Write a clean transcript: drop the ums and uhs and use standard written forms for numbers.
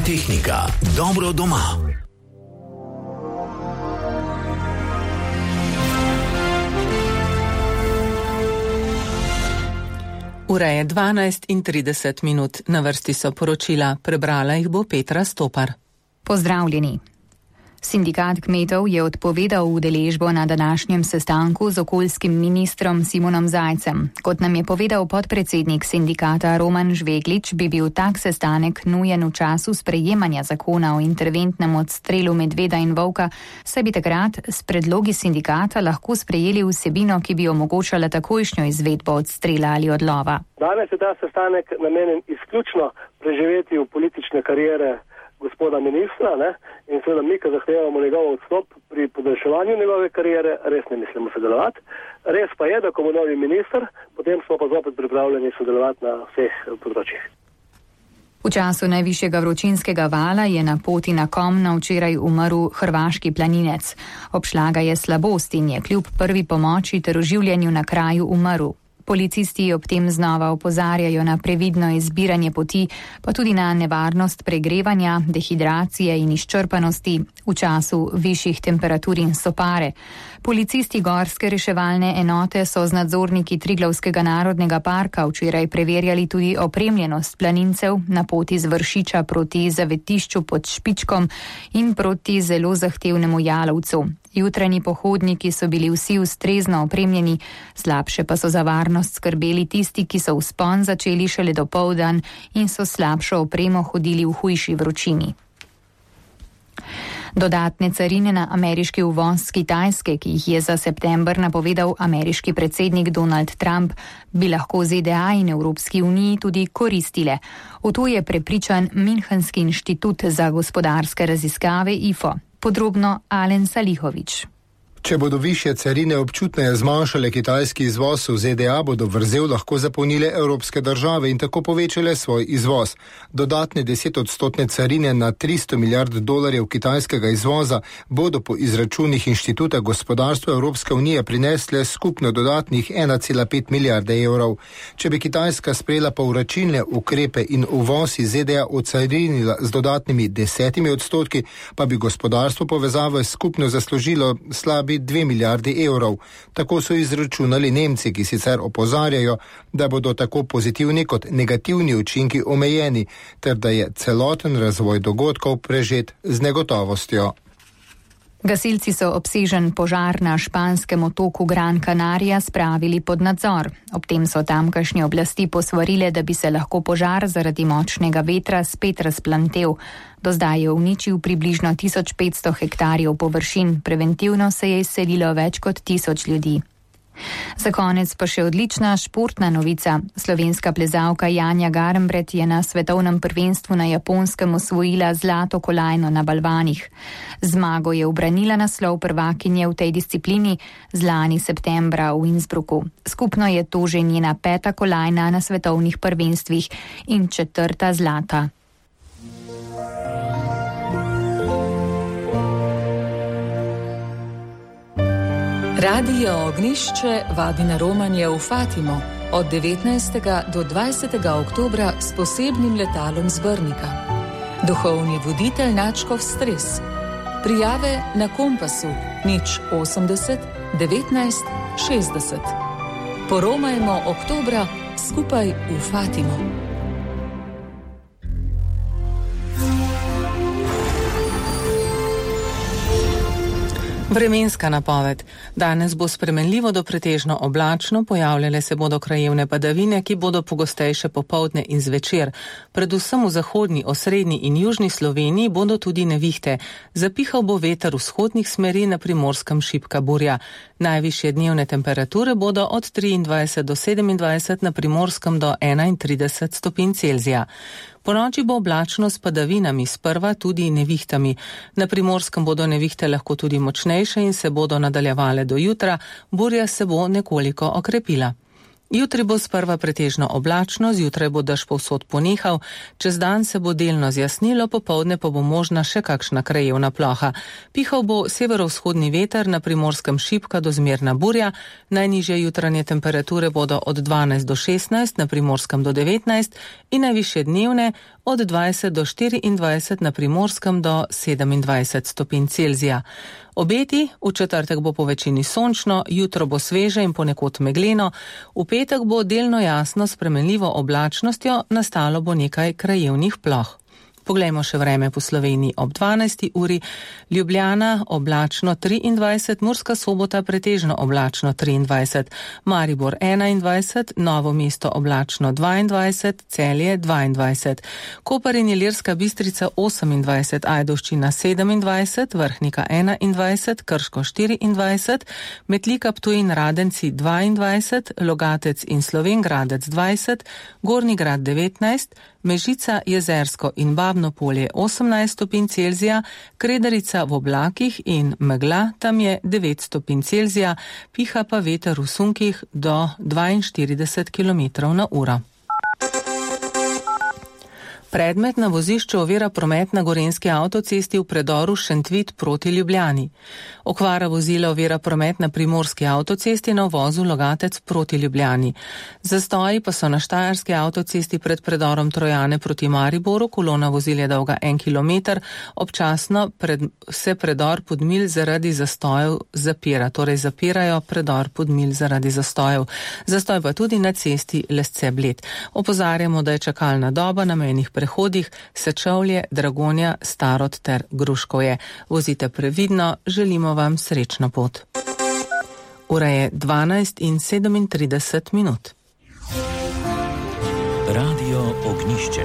tehnika. Dobro doma. Ura je 12:30. Na vrsti so poročila. Prebrala jih bo Petra Stopar. Pozdravljeni. Sindikat kmetov je odpovedal udeležbo na današnjem sestanku z okoljskim ministrom Simonom Zajcem. Kot nam je povedal podpredsednik sindikata Roman Žveglič, bi bil tak sestanek nujen v času sprejemanja zakona o interventnem odstrelu medveda in volka, saj bi takrat s predlogi sindikata lahko sprejeli vsebino, ki bi omogočala takojšnjo izvedbo odstrela ali odlova. Danes je ta sestanek namenjen izključno preživetju politične kariere gospoda ministra, in seveda mi, ko zahtevamo njegov odstop pri podaljševanju njegove kariere, res ne mislimo sodelovati. Res pa je, da ko bo novi minister, potem smo pa zopet pripravljeni sodelovati na vseh področjih. V času najvišjega vročinskega vala je na poti na Komno včeraj umrl hrvaški planinec. Obšla ga je slabost in je kljub prvi pomoči ter oživljanju na kraju umrl. Policisti ob tem znova opozarjajo na previdno izbiranje poti, pa tudi na nevarnost pregrevanja, dehidracije in izčrpanosti v času višjih temperatur in sopare. Policisti gorske reševalne enote so z nadzorniki Triglavskega narodnega parka včeraj preverjali tudi opremljenost planincev na poti z Vršiča proti zavetišču pod Špičkom in proti zelo zahtevnemu Jalovcu. Jutranji pohodniki so bili vsi ustrezno opremljeni, slabše pa so za varnost skrbeli tisti, ki so vzpon začeli šele dopoldan in so slabšo opremo hodili v hujši vročini. Dodatne carine na ameriški uvoz z Kitajske, ki jih je za september napovedal ameriški predsednik Donald Trump, bi lahko ZDA in Evropski uniji tudi koristile. V to je prepričan Münchenski inštitut za gospodarske raziskave IFO. Podrobno Alen Salihovič. Če bodo višje carine občutneje zmanjšale kitajski izvoz v ZDA, bodo vrzel lahko zapolnile evropske države in tako povečale svoj izvoz. Dodatne 10% carine na $300 milijard kitajskega izvoza bodo po izračunih Inštituta gospodarstva Evropske unije prinesle skupno dodatnih 1,5 milijarde evrov. Če bi Kitajska sprejela povračilne ukrepe in uvoz iz ZDA ocarinila z dodatnimi 10%, pa bi gospodarstvo povezave skupno zaslužilo slabi 2 milijardi evrov. Tako so izračunali Nemci, ki sicer opozarjajo, da bodo tako pozitivni kot negativni učinki omejeni, ter da je celoten razvoj dogodkov prežet z negotovostjo. Gasilci so obsežen požar na španskem otoku Gran Canaria spravili pod nadzor. Ob tem so tamkajšnje oblasti posvarile, da bi se lahko požar zaradi močnega vetra spet razplantel. Do zdaj je uničil približno 1500 hektarjev površin, preventivno se je izselilo več kot 1000 ljudi. Za konec pa še odlična športna novica. Slovenska plezalka Janja Garnbret je na svetovnem prvenstvu na Japonskem osvojila zlato kolajno na balvanih. Zmago je ubranila naslov prvakinje v tej disciplini z lani septembra v Innsbrucku. Skupno je to že njena 5. kolajna na svetovnih prvenstvih in 4. zlata. Radio Ognišče vabi na romanje v Fatimo od 19. do 20. oktobra s posebnim letalom z Brnika. Duhovni voditelj Načkov Stres. Prijave na Kompasu 080 19 60. Poromajmo oktobra skupaj v Fatimo. Vremenska napoved. Danes bo spremenljivo do pretežno oblačno, pojavljale se bodo krajevne padavine, ki bodo pogostejše popoldne in zvečer. Predvsem v zahodni, osrednji in južni Sloveniji bodo tudi nevihte. Zapihal bo veter vzhodnih smeri, na Primorskem šibka burja. Najvišje dnevne temperature bodo od 23 do 27, na Primorskem do 31 stopinj Celzija. Ponoči bo oblačno s padavinami, sprva tudi nevihtami. Na Primorskem bodo nevihte lahko tudi močnejše in se bodo nadaljevale do jutra, burja se bo nekoliko okrepila. Jutri bo sprva pretežno oblačno, zjutraj bo dež povsod ponehal, čez dan se bo delno zjasnilo, popoldne pa bo možna še kakšna krajevna ploha. Pihal bo severovzhodni veter, na Primorskem šibka do zmerna burja, najnižje jutranje temperature bodo od 12 do 16, na Primorskem do 19 in najvišje dnevne od 20 do 24 na Primorskem do 27 stopinj Celzija. Obeti: v četrtek bo po večini sončno, jutro bo sveže in ponekod megleno, v petek bo delno jasno s spremenljivo oblačnostjo, nastalo bo nekaj krajevnih ploh. Poglejmo še vreme po Sloveniji ob 12. uri. Ljubljana oblačno 23, Murska Sobota pretežno oblačno 23, Maribor 21, Novo mesto oblačno 22, Celje 22, Koper in Ilirska Bistrica 28, Ajdovščina 27, Vrhnika 21, Krško 24, Metlika, Ptuj in Radenci 22, Logatec in Slovenj Gradec 20, Gornji Grad 19, Mežica, Jezersko in Babno Polje 18 stopinj Celzija, Kredarica v oblakih in megla, tam je 9 stopinj Celzija, piha pa veter v sunkih do 42 km/h. Predmet na vozišču ovira promet na Gorenjski avtocesti v predoru Šentvid proti Ljubljani. Okvara vozila ovira promet na Primorski avtocesti na uvozu Logatec proti Ljubljani. Zastoji pa so na Štajerski avtocesti pred predorom Trojane proti Mariboru, kolona vozil je dolga 1 km, občasno se predor Podmilj zaradi zastojev zapira, torej zapirajo predor Podmilj zaradi zastojev. Zastoj pa tudi na cesti Lesce-Bled. Opozarjamo, da je čakalna doba na mejnih prehodih Sečovlje, Dragonja, Starod ter Gruškovje. Vozite previdno, želimo vam srečno pot. Ura je 12:37. Radio Ognišče.